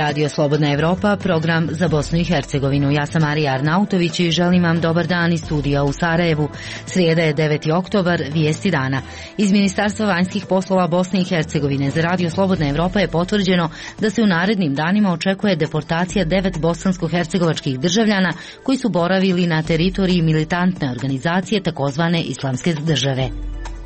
Radio Slobodna Evropa, program za Bosnu i Hercegovinu. Ja sam Marija Arnautović i želim vam dobar dan iz studija u Sarajevu. Srijeda je 9. oktobar, vijesti dana. Iz Ministarstva vanjskih poslova Bosne i Hercegovine za Radio Slobodna Evropa je potvrđeno da se u narednim danima očekuje deportacija 9 bosansko-hercegovačkih državljana koji su boravili na teritoriji militantne organizacije takozvane Islamske države.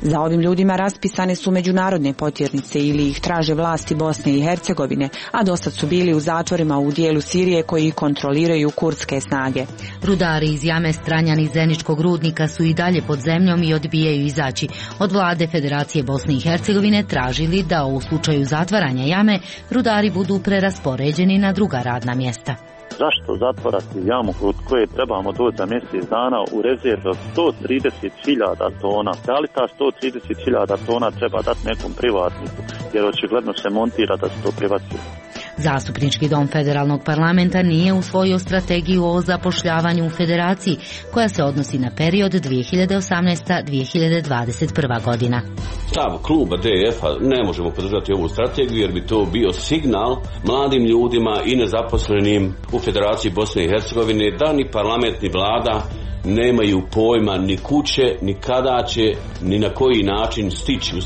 Za ovim ljudima raspisane su međunarodne potjernice ili ih traže vlasti Bosne i Hercegovine, a dosad su bili u zatvorima u dijelu Sirije koji kontroliraju kurdske snage. Rudari iz jame Stranjan iz Zeničkog rudnika su i dalje pod zemljom i odbijaju izaći. Od vlade Federacije Bosne i Hercegovine tražili da u slučaju zatvaranja jame rudari budu preraspoređeni na druga radna mjesta. Zašto zatvorati jamu kod koje trebamo doći za mjesec dana u rezervu 130.000 tona? Da li ta 130.000 tona treba dati nekom privatniku, jer očigledno se montira da se to privatizuje? Zastupnički dom federalnog parlamenta nije usvojio strategiju o zapošljavanju u federaciji, koja se odnosi na period 2018-2021 godina. Stav kluba DF-a ne možemo podržati ovu strategiju jer bi to bio signal mladim ljudima i nezaposlenim u Federaciji Bosne i Hercegovine da ni parlament ni vlada nemaju pojma ni kuće, ni kada će, ni na koji način stići.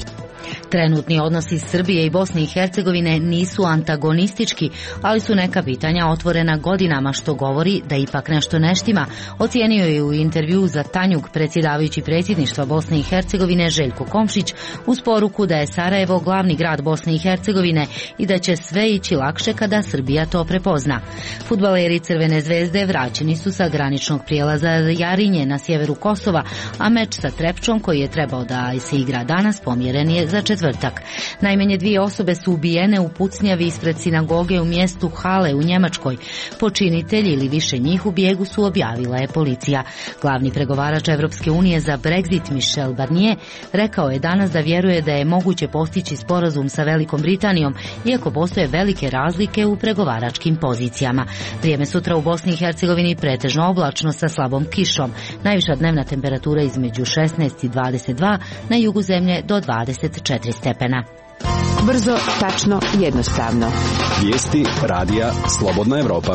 Trenutni odnosi Srbije i Bosne i Hercegovine nisu antagonistički, ali su neka pitanja otvorena godinama, što govori da ipak nešto ne štima, ocijenio je u intervjuu za Tanjug predsjedavajući predsjedništva Bosne i Hercegovine Željko Komšić uz poruku da je Sarajevo glavni grad Bosne i Hercegovine i da će sve ići lakše kada Srbija to prepozna. Fudbaleri Crvene zvezde vraćeni su sa graničnog prijelaza Jarinje na sjeveru Kosova, a meč sa Trepčom koji je trebao da se igra danas pomjeren je za četvrtak. Najmanje 2 osobe su ubijene u pucnjavi ispred sinagoge u mjestu Hale u Njemačkoj. Počinitelji ili više njih u bijegu su, objavila je policija. Glavni pregovarač Evropske unije za Brexit Michel Barnier rekao je danas da vjeruje da je moguće postići sporazum sa Velikom Britanijom, iako postoje velike razlike u pregovaračkim pozicijama. Vrijeme sutra u Bosni i Hercegovini pretežno oblačno sa slabom kišom. Najviša dnevna temperatura između 16 i 22, na jugu zemlje do 24 stepena. Brzo, tačno, jednostavno. Vijesti radija Slobodna Evropa.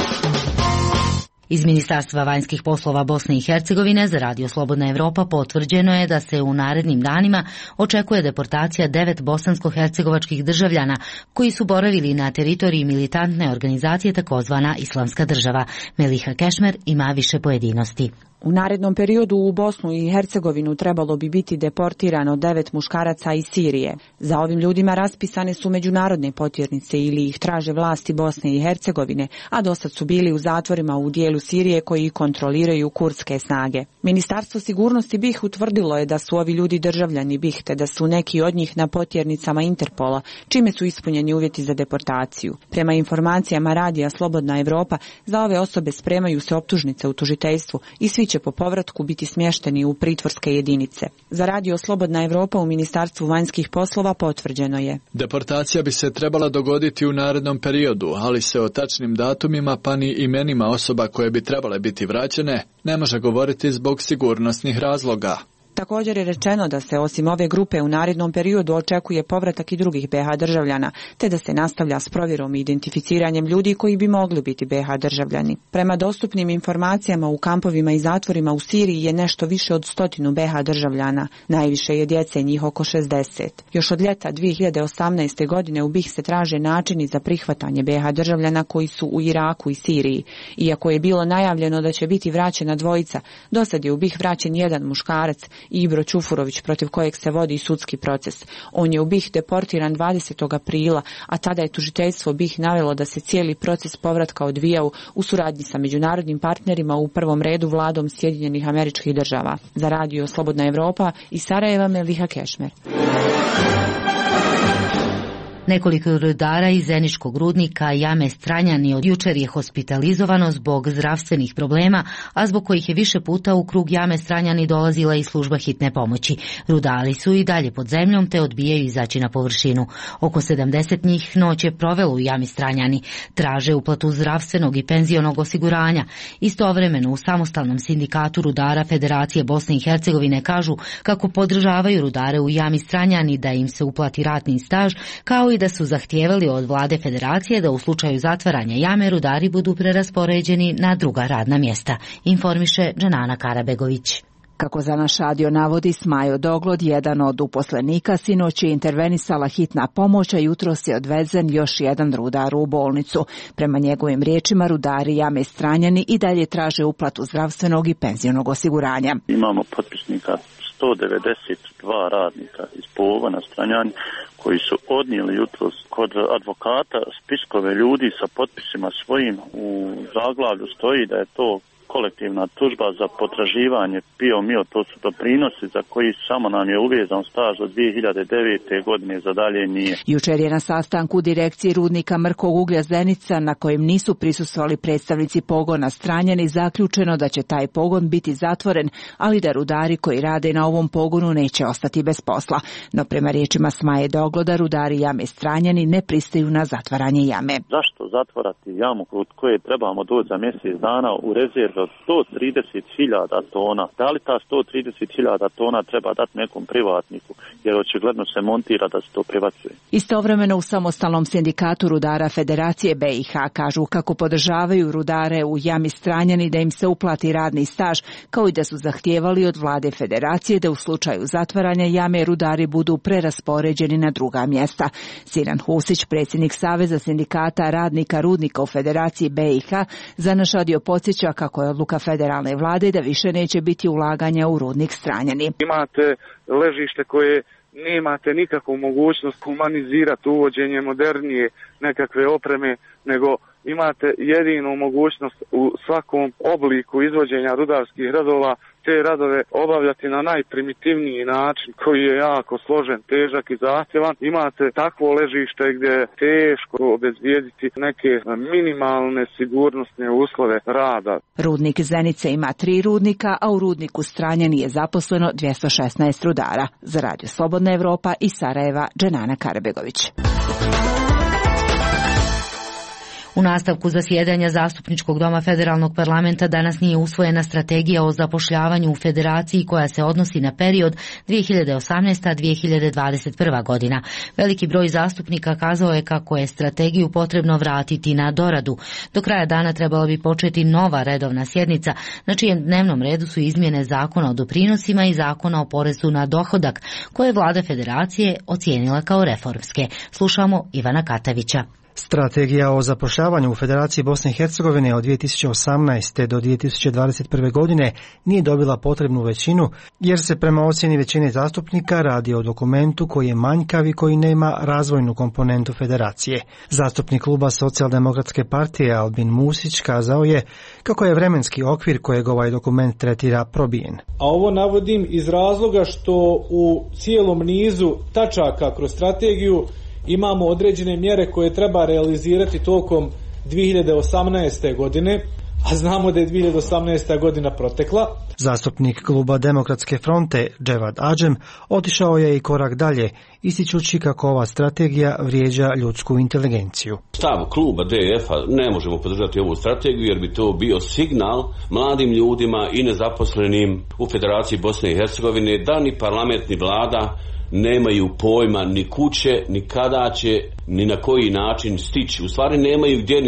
Iz Ministarstva vanjskih poslova Bosne i Hercegovine za Radio Slobodna Evropa potvrđeno je da se u narednim danima očekuje deportacija 9 bosansko-hercegovačkih državljana koji su boravili na teritoriji militantne organizacije takozvana Islamska država. Meliha Kešmer ima više pojedinosti. U narednom periodu u Bosnu i Hercegovinu trebalo bi biti deportirano 9 muškaraca iz Sirije. Za ovim ljudima raspisane su međunarodne potjernice ili ih traže vlasti Bosne i Hercegovine, a dosad su bili u zatvorima u dijelu Sirije koji kontroliraju kurdske snage. Ministarstvo sigurnosti BiH utvrdilo je da su ovi ljudi državljani BiH, te da su neki od njih na potjernicama Interpola, čime su ispunjeni uvjeti za deportaciju. Prema informacijama radija Slobodna Evropa, za ove osobe spremaju se optužnice u tužiteljstvu i svi će po povratku biti smješteni u pritvorske jedinice. Za Radio Slobodna Evropa u Ministarstvu vanjskih poslova potvrđeno je: deportacija bi se trebala dogoditi u narednom periodu, ali se o tačnim datumima pa ni imenima osoba koje bi trebale biti vraćene ne može govoriti zbog sigurnosnih razloga. Također je rečeno da se osim ove grupe u narednom periodu očekuje povratak i drugih BiH državljana, te da se nastavlja s provjerom i identificiranjem ljudi koji bi mogli biti BiH državljani. Prema dostupnim informacijama u kampovima i zatvorima u Siriji je nešto više od 100 BiH državljana. Najviše je djece, njih oko 60. Još od ljeta 2018. godine u BiH se traže načini za prihvatanje BiH državljana koji su u Iraku i Siriji. Iako je bilo najavljeno da će biti vraćena dvojica, dosad je u BiH vraćen jedan muškarac, Ibro Čufurović, protiv kojeg se vodi sudski proces. On je u BiH deportiran 20. aprila, a tada je tužiteljstvo BiH navelo da se cijeli proces povratka odvijao u suradnji sa međunarodnim partnerima, u prvom redu vladom Sjedinjenih Američkih Država. Za Radio Slobodna Evropa iz Sarajeva, Meliha Kešmer. Nekoliko rudara iz zeničkog rudnika Jame Stranjani od jučer je hospitalizovano zbog zdravstvenih problema, a zbog kojih je više puta u krug Jame Stranjani dolazila i služba hitne pomoći. Rudari su i dalje pod zemljom te odbijaju izaći na površinu. Oko 70 njih noć je provelo u Jami Stranjani. Traže uplatu zdravstvenog i penzionog osiguranja. Istovremeno u samostalnom sindikatu rudara Federacije Bosne i Hercegovine kažu kako podržavaju rudare u Jami Stranjani da im se uplati ratni staž, kao i da su zahtijevali od vlade Federacije da u slučaju zatvaranja jame rudari budu preraspoređeni na druga radna mjesta, informiše Dženana Karabegović. Kako za naš radio navodi Smajo Doglod, jedan od uposlenika, sinoć je intervenisala hitna pomoć, a jutros je odvezen još jedan rudar u bolnicu. Prema njegovim riječima, rudari Jame Stranjani i dalje traže uplatu zdravstvenog i penzionog osiguranja. Imamo potpisnika 192 radnika iz pogona Stranjani koji su odnijeli jutros kod advokata spiskove ljudi sa potpisima svojim. U zaglavlju stoji da je to kolektivna tužba za potraživanje PIO-MIO, to su doprinosi za koji samo nam je uvezan staž od 2009. godine, za dalje nije. Jučer je na sastanku direkcije rudnika Mrkog uglja Zenica, na kojem nisu prisustvovali predstavnici pogona Stranjani, zaključeno da će taj pogon biti zatvoren, ali da rudari koji rade na ovom pogonu neće ostati bez posla. No prema riječima Smaje Dogloda, rudari Jame Stranjani ne pristaju na zatvaranje jame. Zašto zatvarati jamu kod koje trebamo doći za mjesec dana u rezervu od 130.000 tona? Da li ta 130.000 tona treba dati nekom privatniku, jer očigledno se montira da se to privacuje? Istovremeno u samostalnom sindikatu rudara Federacije BiH kažu kako podržavaju rudare u Jami Stranjani da im se uplati radni staž, kao i da su zahtijevali od vlade Federacije da u slučaju zatvaranja jame rudari budu preraspoređeni na druga mjesta. Sinan Husić, predsjednik Saveza sindikata radnika rudnika u Federaciji BiH, za naš radio podsjeća kako je odluka federalne vlade da više neće biti ulaganja u rudnik Stranjani. Imate ležište koje nemate nikakvu mogućnost humanizirati uvođenje modernije nekakve opreme, nego imate jedinu mogućnost u svakom obliku izvođenja rudarskih radova te radove obavljati na najprimitivniji način koji je jako složen, težak i zahtjevan. Imate takvo ležište gdje je teško obezbijediti neke minimalne sigurnosne uslove rada. Rudnik Zenice ima 3 rudnika, a u rudniku Stranjani je zaposleno 216 rudara. Za Radio Slobodna Evropa iz Sarajeva, Dženana Karabegović. U nastavku zasjedanja Zastupničkog doma Federalnog parlamenta danas nije usvojena strategija o zapošljavanju u Federaciji koja se odnosi na period 2018-2021 godina. Veliki broj zastupnika kazao je kako je strategiju potrebno vratiti na doradu. Do kraja dana trebala bi početi nova redovna sjednica, na čijem dnevnom redu su izmjene Zakona o doprinosima i Zakona o porezu na dohodak, koje je vlada Federacije ocijenila kao reformske. Slušamo Ivana Katavića. Strategija o zapošljavanju u Federaciji Bosne i Hercegovine od 2018. do 2021. godine nije dobila potrebnu većinu, jer se prema ocjeni većine zastupnika radi o dokumentu koji je manjkav i koji nema razvojnu komponentu Federacije. Zastupnik kluba Socijaldemokratske partije Albin Musić kazao je kako je vremenski okvir kojeg ovaj dokument tretira probijen. A ovo navodim iz razloga što u cijelom nizu tačaka kroz strategiju imamo određene mjere koje treba realizirati tokom 2018. godine, a znamo da je 2018. godina protekla. Zastupnik kluba Demokratske fronte Dževad Adžem otišao je i korak dalje, ističući kako ova strategija vrijeđa ljudsku inteligenciju. Stav kluba DF-a ne možemo podržati ovu strategiju jer bi to bio signal mladim ljudima i nezaposlenim u Federaciji Bosne i Hercegovine da ni parlament ni vlada nemaju pojma ni kuće, ni kada će, ni na koji način stići. U stvari nemaju gdje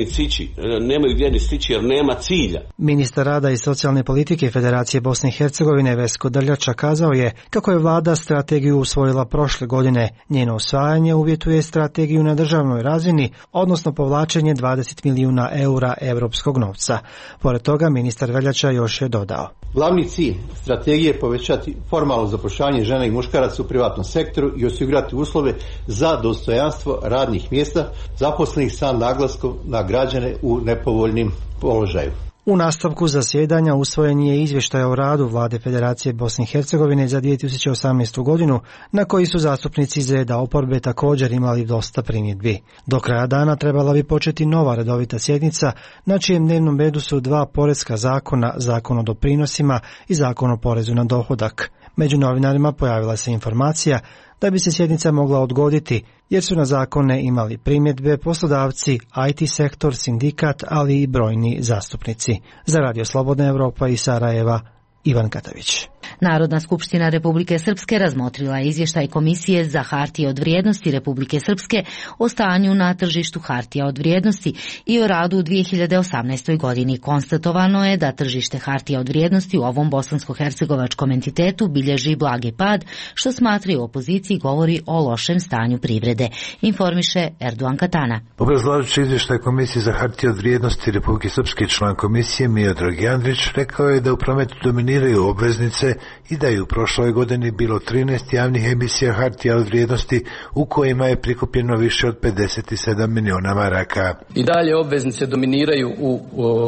ni stići jer nema cilja. Ministar rada i socijalne politike Federacije Bosne i Hercegovine Vesko Drljača kazao je kako je vlada strategiju usvojila prošle godine. Njeno usvajanje uvjetuje strategiju na državnoj razini, odnosno povlačenje 20 milijuna eura europskog novca. Pored toga ministar Veljača još je dodao: Glavni cilj strategije je povećati formalno zapošljavanje žena i muškaraca u privatnom sektoru i osigurati uslove za dostojanstvo radnih mjesta zaposlenih sa naglaskom na građane u nepovoljnim položaju. U nastavku zasjedanja usvojen je izvještaj o radu Vlade Federacije Bosne i Hercegovine za 2018. godinu, na koji su zastupnici iz reda oporbe također imali dosta primjedbi. Do kraja dana trebala bi početi nova redovita sjednica, na čijem dnevnom redu su dva porezka zakona, Zakon o doprinosima i Zakon o porezu na dohodak. Među novinarima pojavila se informacija da bi se sjednica mogla odgoditi, jer su na zakone imali primjedbe poslodavci, IT sektor, sindikat, ali i brojni zastupnici. Za Radio Slobodna Evropa iz Sarajeva, Ivan Katavić. Narodna skupština Republike Srpske razmotrila je izvještaj Komisije za hartije od vrijednosti Republike Srpske o stanju na tržištu hartija od vrijednosti i o radu u 2018. godini. Konstatovano je da tržište hartija od vrijednosti u ovom bosansko-hercegovačkom entitetu bilježi blagi pad, što smatraju opoziciji govori o lošem stanju privrede, informiše Erdogan Katana. Obrazlažući izvještaj Komisije za hartije od vrijednosti Republike Srpske, član komisije Miodrag Jandrić rekao je da u prometu dominiraju obveznice i da je u prošloj godini bilo 13 javnih emisija hartija od vrijednosti u kojima je prikupljeno više od 57 miliona maraka. I dalje obveznice dominiraju u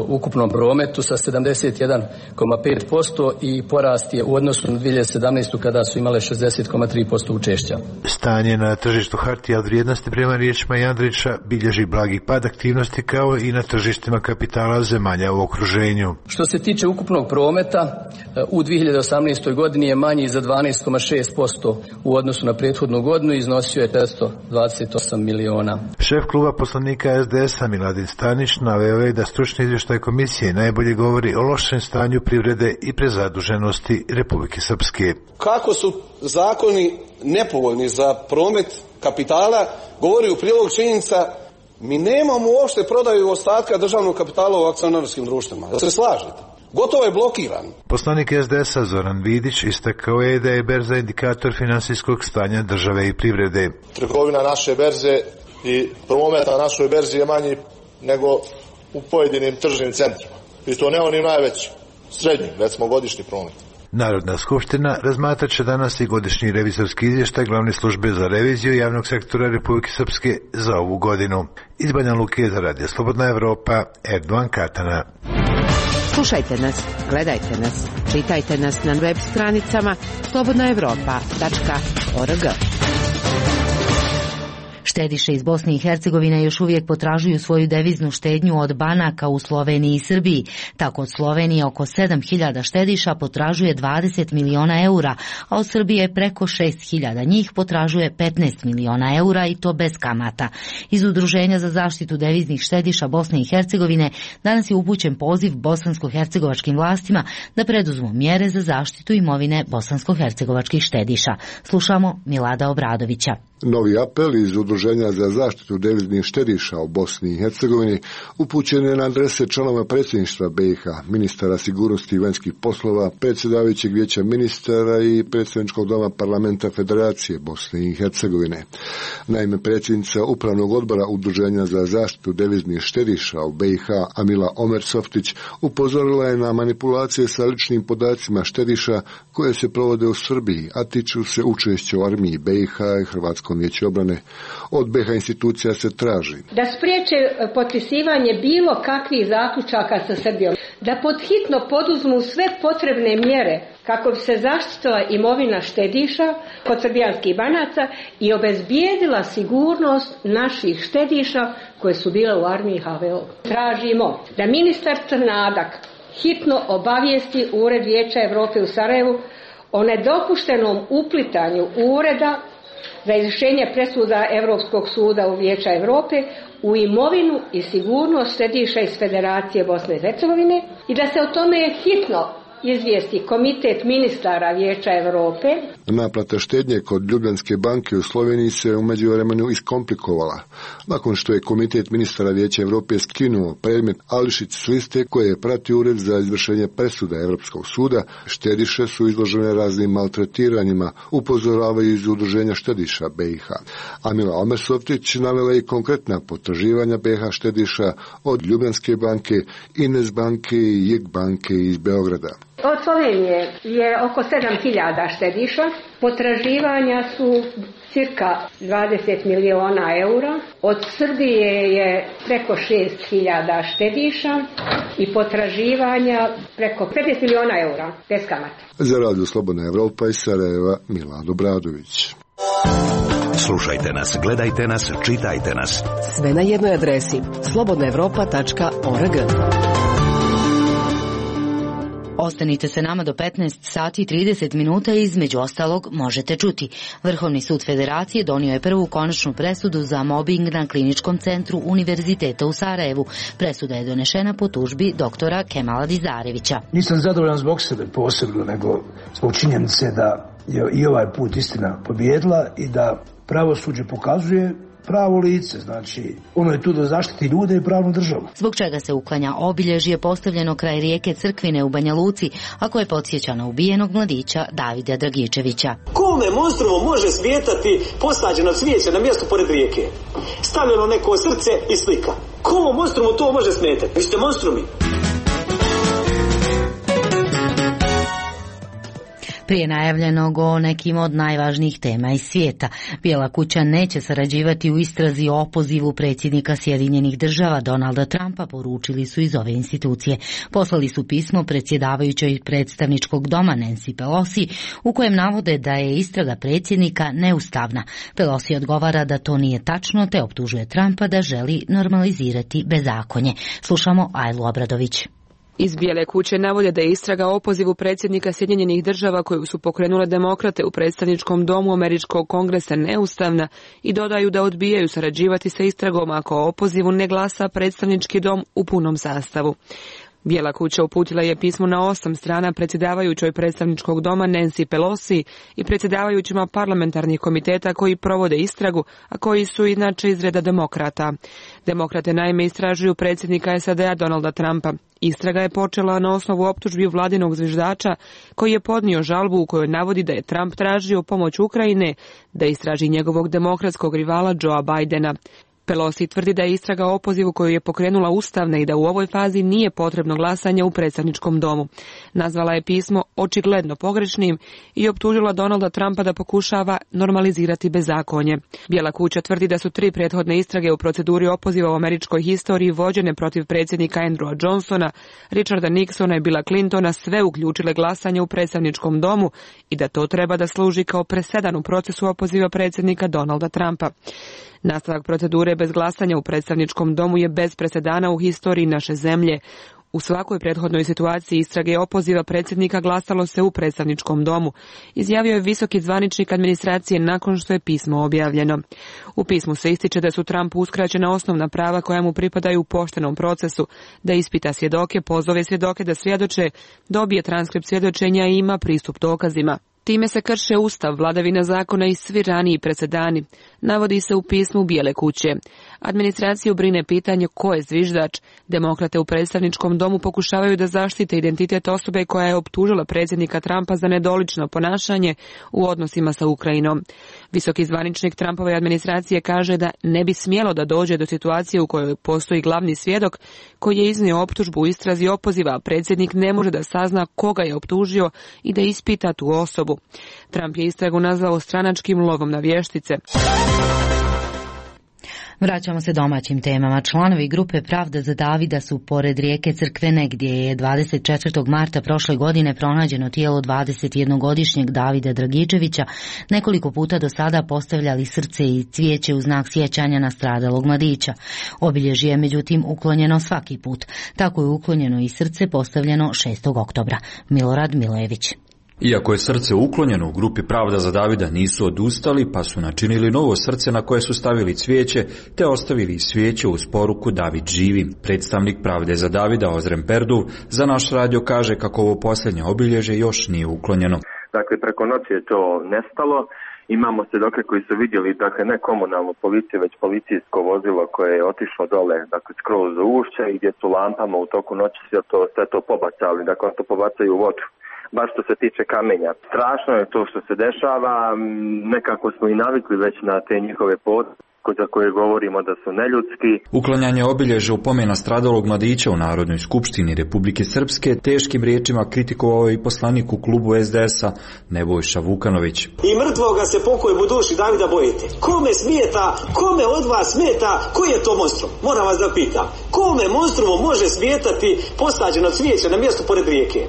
ukupnom prometu sa 71,5% i porast je u odnosu na 2017. kada su imale 60,3% učešća. Stanje na tržištu hartija od vrijednosti prema riječima Jandrića bilježi blagi pad aktivnosti kao i na tržištima kapitala zemalja u okruženju. Što se tiče ukupnog prometa, u 2018. godini je manji za 12,6% u odnosu na prethodnu godinu i iznosio je 428 miliona. Šef kluba poslanika SDS-a Miladin Stanić naveo je da stručni izvještaj komisije najbolje govori o lošem stanju privrede i prezaduženosti Republike Srpske. Kako su zakoni nepovoljni za promet kapitala, govori u prilog činjenica mi nemamo uopšte prodaju ostatka državnog kapitala u akcionarskim društvima. Da se slažete? Gotovo je blokiran. Poslanik SDS-a Zoran Vidić istakao je da je berza indikator finansijskog stanja države i privrede. Trgovina naše berze i promet na našoj berzi je manji nego u pojedinim tržnim centrima. I to ne onim najvećim, srednjim, recimo godišnji promet. Narodna skupština razmatrat će danas i godišnji revizorski izvještaj glavne službe za reviziju javnog sektora Republike Srpske za ovu godinu. Iz Banja Luke za Radio Slobodna Evropa, Erdogan Katana. Slušajte nas, gledajte nas, čitajte nas na web stranicama slobodnaevropa.org. Štediše iz Bosne i Hercegovine još uvijek potražuju svoju deviznu štednju od banaka u Sloveniji i Srbiji. Tako od Slovenije oko 7.000 štediša potražuje 20 miliona eura, a od Srbije preko 6.000 njih potražuje 15 miliona eura i to bez kamata. Iz Udruženja za zaštitu deviznih štediša Bosne i Hercegovine danas je upućen poziv bosansko-hercegovačkim vlastima da preduzmu mjere za zaštitu imovine bosansko-hercegovačkih štediša. Slušamo Milada Obradovića. Novi apel iz Udruženja za zaštitu deviznih štediša u Bosni i Hercegovini upućen je na adrese članova predsjedništva BiH, ministara sigurnosti i vanjskih poslova, predsjedavajućeg vijeća ministara i predsjedničkog doma parlamenta Federacije Bosne i Hercegovine. Naime, predsjednica upravnog odbora Udruženja za zaštitu deviznih štediša u BiH, Amila Omersoftić, upozorila je na manipulacije sa ličnim podacima štediša koje se provode u Srbiji, a tiču se učešća u armiji BiH i Hrvatskom vijeću obrane. Od BiH institucija se traži da spriječe potpisivanje bilo kakvih zaključaka sa Srbijom, da podhitno poduzmu sve potrebne mjere kako bi se zaštitila imovina štediša kod srbijanskih banaca i obezbijedila sigurnost naših štediša koje su bile u armiji HVO. Tražimo da ministar Crnadak hitno obavijesti Ured Vijeća Europe u Sarajevu o nedopuštenom uplitanju ureda za izvršenje presuda Europskog suda u Vijeća Europe u imovinu i sigurnost štediša iz Federacije Bosne i Hercegovine i da se o tome hitno izvijesti Komitet ministara Vijeća Europe. Naplata štednje kod Ljubljanske banke u Sloveniji se u međuvremenu iskomplikovala. Nakon što je Komitet ministara Vijeća Europe skinuo predmet Ališić s liste koje je pratio Ured za izvršenje presuda Europskog suda, štediše su izložene raznim maltretiranjima, upozoravaju iz Udruženja štediša BiH. Amila Omersoftić navela i konkretna potraživanja BiH štediša od Ljubljanske banke, Ines banke i JEK banke iz Beograda. Od Slovenije je oko 7.000 štediša, potraživanja su cirka 20 miliona eura, od Srbije je preko 6.000 štediša i potraživanja preko 15 miliona eura, bez kamata. Za Radio Slobodna Evropa iz Sarajeva, Milad Obradović. Slušajte nas, gledajte nas, čitajte nas. Sve na jednoj adresi slobodnaevropa.org. Ostanite se nama do 15 sati i 30 minuta i između ostalog možete čuti. Vrhovni sud Federacije donio je prvu konačnu presudu za mobing na Kliničkom centru Univerziteta u Sarajevu. Presuda je donešena po tužbi doktora Kemala Dizarevića. Nisam zadovoljan zbog sebe posebno, nego zbog činjenice da je i ovaj put istina pobijedila i da pravosuđe pokazuje pravo lice, znači ono je tu da zaštiti ljude i pravnu državu. Zbog čega se uklanja obilježje postavljeno kraj rijeke Crkvine u Banja Luci, a koje podsjeća na ubijenog mladića Davida Dragičevića. Kome monstrumu može smetati posađeno cvijeće na mjestu pored rijeke? Stavljeno neko srce i slika. Komu monstrumu to može smetati? Vi ste monstrumi. Prije najavljenog o nekim od najvažnijih tema iz svijeta. Bijela kuća neće sarađivati u istrazi o opozivu predsjednika Sjedinjenih država Donalda Trumpa, poručili su iz ove institucije. Poslali su pismo predsjedavajućoj predstavničkog doma Nancy Pelosi u kojem navode da je istraga predsjednika neustavna. Pelosi odgovara da to nije tačno te optužuje Trumpa da želi normalizirati bezakonje. Slušamo Ajlu Obradović. Iz Bijele kuće navode da je istraga o opozivu predsjednika Sjedinjenih država koju su pokrenule demokrate u predstavničkom domu Američkog kongresa neustavna i dodaju da odbijaju sarađivati sa istragom ako o opozivu ne glasa predstavnički dom u punom sastavu. Bijela kuća uputila je pismo na 8 strana predsjedavajućoj predstavničkog doma Nancy Pelosi i predsjedavajućima parlamentarnih komiteta koji provode istragu, a koji su inače iz reda demokrata. Demokrate naime istražuju predsjednika SAD-a Donalda Trumpa. Istraga je počela na osnovu optužbi vladinog zviždača koji je podnio žalbu u kojoj navodi da je Trump tražio pomoć Ukrajine da istraži njegovog demokratskog rivala Joea Bidena. Pelosi tvrdi da je istraga o opozivu koju je pokrenula ustavna i da u ovoj fazi nije potrebno glasanje u predstavničkom domu. Nazvala je pismo očigledno pogrešnim i optužila Donalda Trumpa da pokušava normalizirati bezakonje. Bijela kuća tvrdi da su 3 prethodne istrage u proceduri opoziva u američkoj historiji vođene protiv predsjednika Andrewa Johnsona, Richarda Nixona i Billa Clintona sve uključile glasanje u predstavničkom domu i da to treba da služi kao presedan u procesu opoziva predsjednika Donalda Trumpa. Nastavak procedure bez glasanja u predstavničkom domu je bez presedana u historiji naše zemlje. U svakoj prethodnoj situaciji istrage opoziva predsjednika glasalo se u predstavničkom domu, izjavio je visoki zvaničnik administracije nakon što je pismo objavljeno. U pismu se ističe da su Trumpu uskraćena osnovna prava koja mu pripadaju u poštenom procesu, da ispita svjedoke, pozove svjedoke da svjedoče, dobije transkript svjedočenja i ima pristup dokazima. Time se krše ustav, vladavina zakona i svi raniji presedani, navodi se u pismu Bijele kuće. Administraciju brine pitanje ko je zviždač. Demokrate u predstavničkom domu pokušavaju da zaštite identitet osobe koja je optužila predsjednika Trumpa za nedolično ponašanje u odnosima sa Ukrajinom. Visoki zvaničnik Trumpove administracije kaže da ne bi smjelo da dođe do situacije u kojoj postoji glavni svjedok koji je iznio optužbu u istrazi opoziva, a predsjednik ne može da sazna koga je optužio i da ispita tu osobu. Trump je istragu nazvao stranačkim lovom na vještice. Vraćamo se domaćim temama. Članovi grupe Pravda za Davida su pored rijeke Crkvene, gdje je 24. marta prošle godine pronađeno tijelo 21-godišnjeg Davida Dragičevića, nekoliko puta do sada postavljali srce i cvijeće u znak sjećanja na stradalog mladića. Obilježje je međutim uklonjeno svaki put. Tako je uklonjeno i srce postavljeno 6. oktobra. Milorad Milojević. Iako je srce uklonjeno, u grupi Pravda za Davida nisu odustali, pa su načinili novo srce na koje su stavili cvijeće, te ostavili svijeće uz poruku David živi. Predstavnik Pravde za Davida Ozren Perduv za naš radio kaže kako ovo posljednje obilježje još nije uklonjeno. Dakle, preko noći je to nestalo. Imamo svjedoke koji su vidjeli, dakle, ne komunalnu policiju, već policijsko vozilo koje je otišlo dole, dakle, skroz u ušće i gdje su lampama u toku noći sve to pobacali, dakle, to pobacaju u vodu. Baš što se tiče kamenja. Strašno je to što se dešava, nekako smo i navikli već na te njihove za koje govorimo da su neljudski. Uklanjanje obilježja upomena stradalog mladića u Narodnoj skupštini Republike Srpske teškim riječima kritikovao i poslanik u klubu SDS-a Nebojša Vukanović. I mrtvoga se pokojem u duši Davida bojite. Kome smeta, kome od vas smeta, koji je to monstrum? Moram vas da pitam. Kome monstrumu može smetati posađeno cvijeće na mjestu pored rijeke?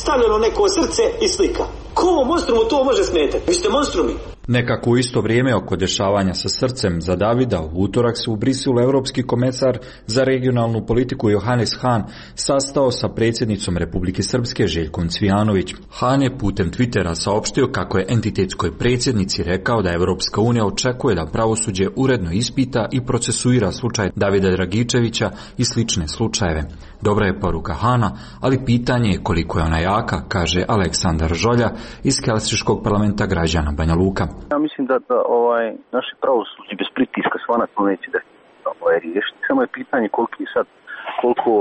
Stavljeno neko srce i slika. Komu monstrumu to može smetati? Vi ste monstrumi. Nekako u isto vrijeme oko dešavanja sa srcem za Davida u utorak se u Briselu Europski komesar za regionalnu politiku Johannes Hahn sastao sa predsjednicom Republike Srpske Željkom Cvijanović. Hahn je putem Twittera saopštio kako je entitetskoj predsjednici rekao da Europska unija očekuje da pravosuđe uredno ispita i procesuira slučaj Davida Dragičevića i slične slučajeve. Dobra je poruka Hana, ali pitanje je koliko je ona jaka, kaže Aleksandar Žolja iz Helsinškog parlamenta građana Banja Luka. Ja mislim da naše pravosuđe bez pritiska svakako neće da riješiti. Samo je pitanje koliko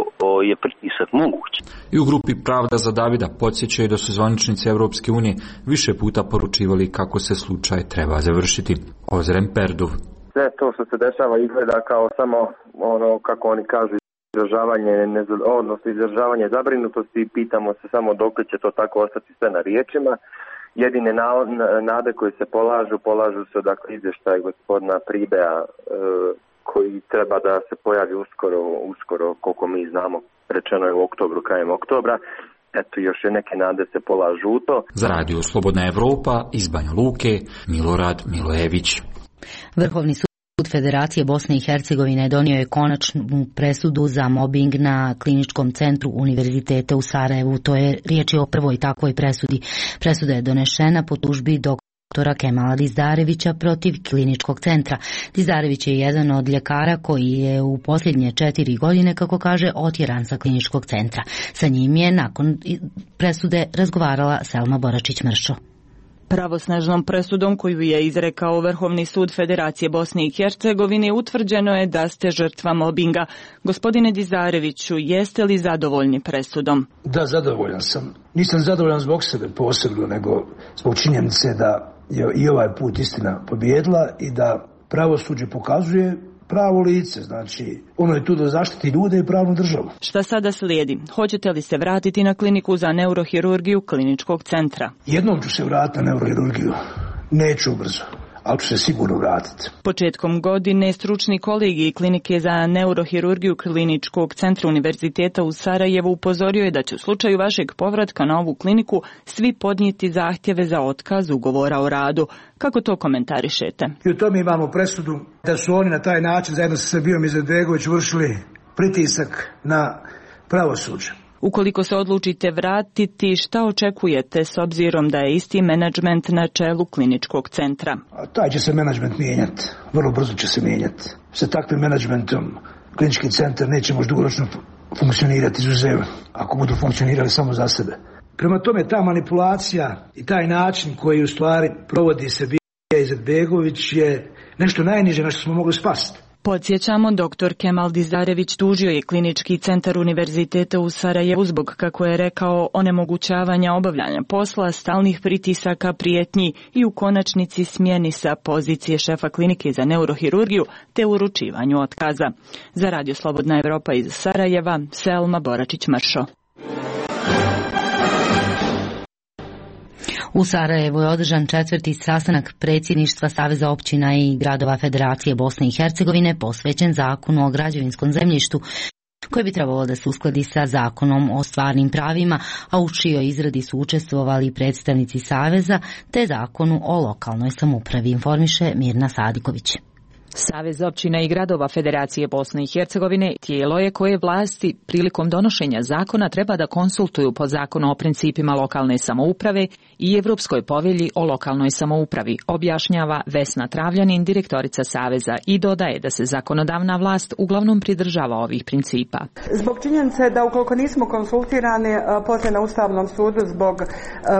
je pritisak moguć. I u grupi Pravda za Davida podsjećaju da su zvaničnici Europske unije više puta poručivali kako se slučaj treba završiti. Ozren Perduv. Sve to što se dešava izgleda kao samo ono, kako oni kažu, izražavanje zabrinutosti. Pitamo se samo dok će to tako ostati sve na riječima. Jedine nade koje se polažu se izvještaj gospodina Pribea koji treba da se pojavi uskoro koliko mi znamo, rečeno je u oktobru, krajem oktobra. Eto, još je neke nade se polažu u to. Za Radio Slobodna Evropa iz Banja Luke, Milorad Milojević. Vrhovni sud Federacije Bosne i Hercegovine donio je konačnu presudu za mobing na Kliničkom centru Univerziteta u Sarajevu. To je riječ o prvoj takvoj presudi. Presuda je donešena po tužbi doktora Kemala Dizdarevića protiv Kliničkog centra. Dizdarević je jedan od ljekara koji je u posljednje 4 godine, kako kaže, otjeran sa Kliničkog centra. Sa njim je nakon presude razgovarala Selma Boračić-Mršo. Pravosnažnom presudom koju je izrekao Vrhovni sud Federacije Bosne i Hercegovine utvrđeno je da ste žrtva mobinga. Gospodine Dizdareviću, jeste li zadovoljni presudom? Da, zadovoljan sam. Nisam zadovoljan zbog sebe posebno, nego zbog činjenice da je i ovaj put istina pobijedila i da pravosuđe pokazuje pravo lice, znači ono je tu da zaštiti ljude i pravnu državu. Šta sada slijedi? Hoćete li se vratiti na kliniku za neurohirurgiju Kliničkog centra? Jednom ću se vratiti na neurohirurgiju, neću brzo, ali ću se sigurno vratiti. Početkom godine stručni kolegij Klinike za neurohirurgiju Kliničkog centra Univerziteta u Sarajevu upozorio je da će u slučaju vašeg povratka na ovu kliniku svi podnijeti zahtjeve za otkaz ugovora o radu. Kako to komentarišete? I u tome imamo presudu da su oni na taj način zajedno sa Srbijom Izetbegović vršili pritisak na pravosuđe. Ukoliko se odlučite vratiti, šta očekujete s obzirom da je isti menadžment na čelu Kliničkog centra? A taj će se menadžment mijenjati, vrlo brzo će se mijenjati. Sa takvim menadžmentom Klinički centar neće možda dugoročno funkcionirati izuzev, ako budu funkcionirali samo za sebe. Prema tome, ta manipulacija i taj način koji u stvari provodi Srbija Izetbegović je nešto najniže na što smo mogli spasti. Podsjećamo, dr. Kemal Dizdarević tužio je Klinički centar Univerziteta u Sarajevu zbog, kako je rekao, onemogućavanja obavljanja posla, stalnih pritisaka, prijetnji i u konačnici smjeni sa pozicije šefa Klinike za neurohirurgiju te uručivanju otkaza. Za Radio Slobodna Evropa iz Sarajeva, Selma Boračić-Mršo. U Sarajevu je održan 4. sastanak predsjedništva Saveza općina i gradova Federacije Bosne i Hercegovine posvećen Zakonu o građevinskom zemljištu, koji bi trebalo da se uskladi sa Zakonom o stvarnim pravima, a u čijoj izradi su učestvovali predstavnici Saveza, te Zakonu o lokalnoj samoupravi, informiše Mirna Sadiković. Savez općina i gradova Federacije Bosne i Hercegovine tijelo je koje vlasti prilikom donošenja zakona treba da konsultuju po Zakonu o principima lokalne samouprave i Evropskoj povelji o lokalnoj samoupravi, objašnjava Vesna Travljanin, direktorica Saveza, i dodaje da se zakonodavna vlast uglavnom pridržava ovih principa. Zbog činjenice da ukoliko nismo konsultirani poslije na Ustavnom sudu zbog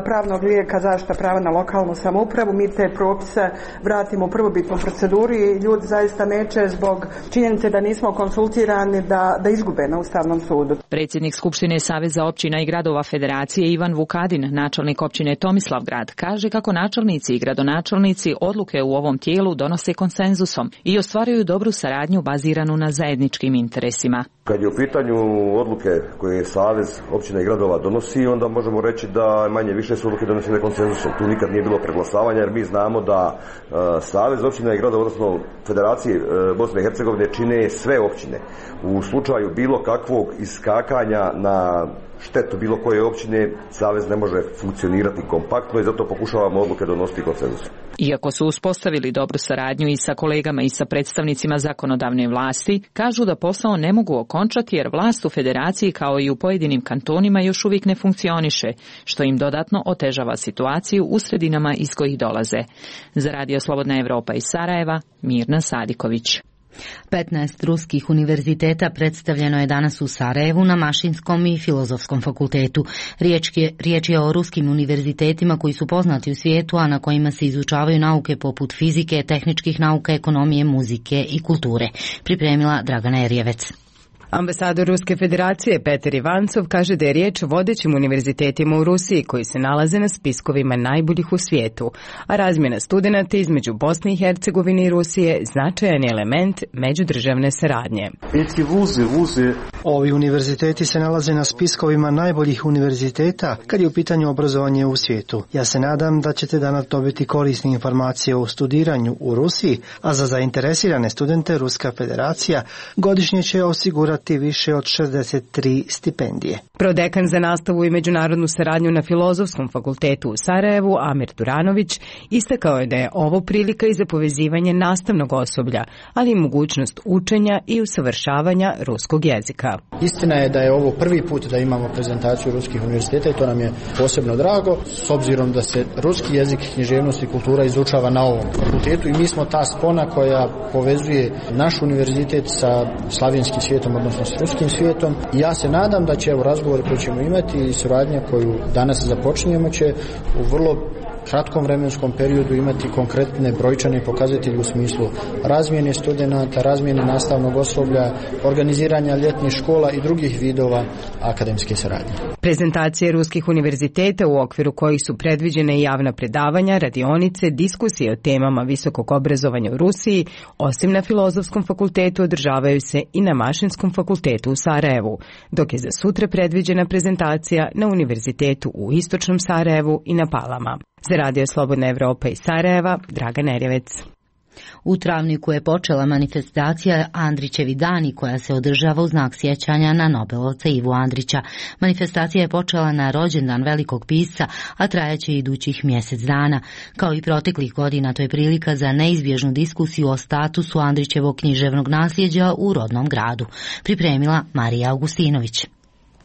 pravnog lijeka zaštita prava na lokalnu samoupravu, mi te propise vratimo u prvobitnu proceduru i ljudi sud zaista neće zbog činjenice da nismo konsultirani da izgube na Ustavnom sudu. Predsjednik Skupštine Saveza općina i gradova Federacije Ivan Vukadin, načelnik općine Tomislavgrad, kaže kako načelnici i gradonačelnici odluke u ovom tijelu donose konsenzusom i ostvaruju dobru saradnju baziranu na zajedničkim interesima. Kad je u pitanju odluke koje Savez općina i gradova donosi, onda možemo reći da manje više su odluke donesene konsenzusom. Tu nikad nije bilo preglasavanja, jer mi znamo da Savez općina i gradova, odnosno Federacije Bosne i Hercegovine, čine sve općine. U slučaju bilo kakvog iskakanja na štetu bilo koje općine, Savez ne može funkcionirati kompaktno i zato pokušavamo odluke donositi konsenzusom. Iako su uspostavili dobru saradnju i sa kolegama i sa predstavnicima zakonodavne vlasti, kažu da posao ne mogu okončati jer vlast u federaciji kao i u pojedinim kantonima još uvijek ne funkcioniše, što im dodatno otežava situaciju u sredinama iz kojih dolaze. Za Radio Slobodna Evropa iz Sarajeva, Mirna Sadiković. 15 ruskih univerziteta predstavljeno je danas u Sarajevu na Mašinskom i Filozofskom fakultetu. Riječ je o ruskim univerzitetima koji su poznati u svijetu, a na kojima se izučavaju nauke poput fizike, tehničkih nauka, ekonomije, muzike i kulture. Pripremila Dragana Erjevec. Ambasador Ruske federacije Petar Ivancov kaže da je riječ o vodećim univerzitetima u Rusiji koji se nalaze na spiskovima najboljih u svijetu, a razmjena studenata između Bosne i Hercegovine i Rusije značajan je element međudržavne saradnje. Ovi univerziteti se nalaze na spiskovima najboljih univerziteta kad je u pitanju obrazovanje u svijetu. Ja se nadam da ćete danas dobiti korisne informacije o studiranju u Rusiji, a za zainteresirane studente Ruska federacija godišnje će osigurati više od 63 stipendije. Prodekan za nastavu i međunarodnu saradnju na Filozofskom fakultetu u Sarajevu, Amir Turanović, istakao je da je ovo prilika i za povezivanje nastavnog osoblja, ali i mogućnost učenja i usavršavanja ruskog jezika. Istina je da je ovo prvi put da imamo prezentaciju ruskih univerziteta i to nam je posebno drago, s obzirom da se ruski jezik, književnost i kultura izučava na ovom fakultetu i mi smo ta spona koja povezuje naš univerzitet sa slavenskim svijetom, odnosno s ruskim svijetom. I ja se nadam da će razgovori koje ćemo imati i suradnja koju danas započinjemo će u vrlo kratkom vremenskom periodu imati konkretne brojčane pokazatelje u smislu razmjene studenata, razmjene nastavnog osoblja, organiziranja ljetnih škola i drugih vidova akademske saradnje. Prezentacije ruskih univerziteta u okviru kojih su predviđene javna predavanja, radionice, diskusije o temama visokog obrazovanja u Rusiji, osim na Filozofskom fakultetu održavaju se i na Mašinskom fakultetu u Sarajevu, dok je za sutra predviđena prezentacija na Univerzitetu u Istočnom Sarajevu i na Palama. Za Radio Slobodna Evropa iz Sarajeva, Dragana Erjevec. U Travniku je počela manifestacija Andrićevi dani koja se održava u znak sjećanja na Nobelovca Ivu Andrića. Manifestacija je počela na rođendan velikog pisca, a trajaće idućih mjesec dana. Kao i proteklih godina, to je prilika za neizbježnu diskusiju o statusu Andrićevog književnog nasljeđa u rodnom gradu. Pripremila Marija Augustinović.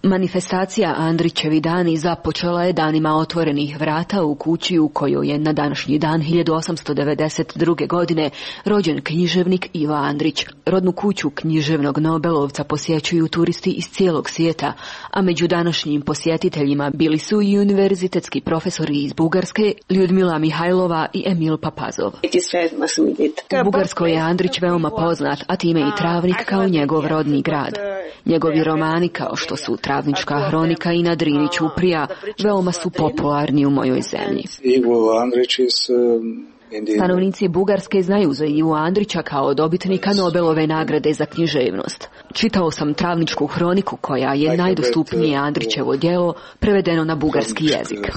Manifestacija Andrićevi dani započela je danima otvorenih vrata u kući u kojoj je na današnji dan 1892. godine rođen književnik Ivo Andrić. Rodnu kuću književnog Nobelovca posjećuju turisti iz cijelog svijeta, a među današnjim posjetiteljima bili su i univerzitetski profesori iz Bugarske, Ljudmila Mihajlova i Emil Papazov. U Bugarskoj je Andrić veoma poznat, a time i Travnik kao njegov rodni grad. Njegovi romani kao što su Travnička hronika i Na Drini ćuprija veoma su popularni u mojoj zemlji. Stanovnici Bugarske znaju za Ivu Andrića kao dobitnika Nobelove nagrade za književnost. Čitao sam Travničku hroniku koja je najdostupnije Andrićevo djelo prevedeno na bugarski jezik.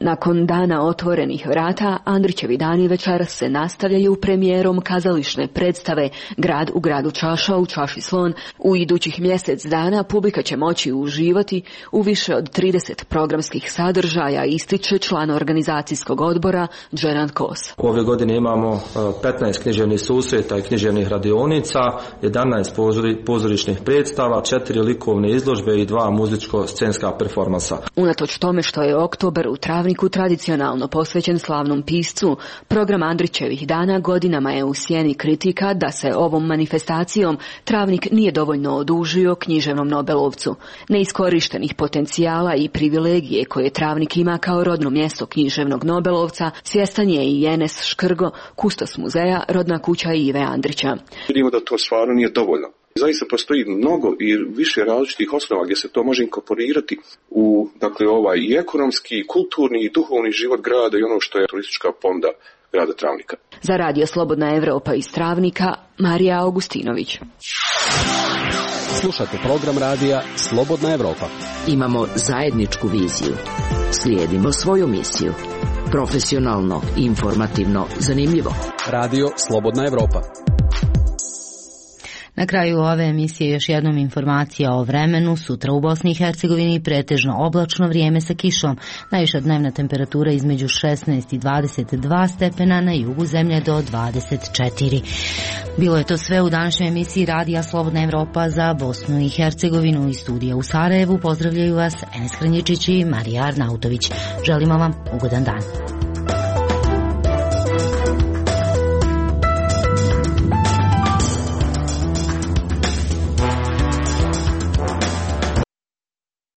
Nakon dana otvorenih vrata, Andrićevi dani večeras se nastavljaju premijerom kazališne predstave Grad u gradu čaša u čaši slon. U idućih mjesec dana publika će moći uživati u više od 30 programskih sadržaja, ističe član organizacijskog odbora Dženan Kos. Ove godine imamo 15 književnih susreta i književnih radionica, 11 pozorišnih predstava, 4 likovne izložbe i 2 muzičko-scenska performansa. Unatoč tome što je oktobar u Travniku prazniku tradicionalno posvećen slavnom piscu, program Andrićevih dana godinama je u sjeni kritika da se ovom manifestacijom Travnik nije dovoljno odužio književnom Nobelovcu. Neiskorištenih potencijala i privilegije koje Travnik ima kao rodno mjesto književnog Nobelovca svjestan je i Enes Škrgo, kustos muzeja Rodna kuća Ive Andrića. Vidimo da to stvarno nije dovoljno. Zaista postoji mnogo i više različitih osnova gdje se to može inkorporirati u i ekonomski, i kulturni i duhovni život grada i ono što je turistička ponuda grada Travnika. Za Radio Slobodna Evropa iz Travnika, Marija Augustinović. Slušate program radija Slobodna Evropa. Imamo zajedničku viziju. Slijedimo svoju misiju. Profesionalno, informativno, zanimljivo. Radio Slobodna Evropa. Na kraju ove emisije još jednom informacija o vremenu. Sutra u Bosni i Hercegovini pretežno oblačno vrijeme sa kišom. Najviša dnevna temperatura između 16 i 22 stepena, na jugu zemlje do 24. Bilo je to sve u današnjoj emisiji Radija Slobodna Evropa za Bosnu i Hercegovinu. Iz studija u Sarajevu pozdravljaju vas Enes Hranjičić i Marija Arnautović. Želimo vam ugodan dan.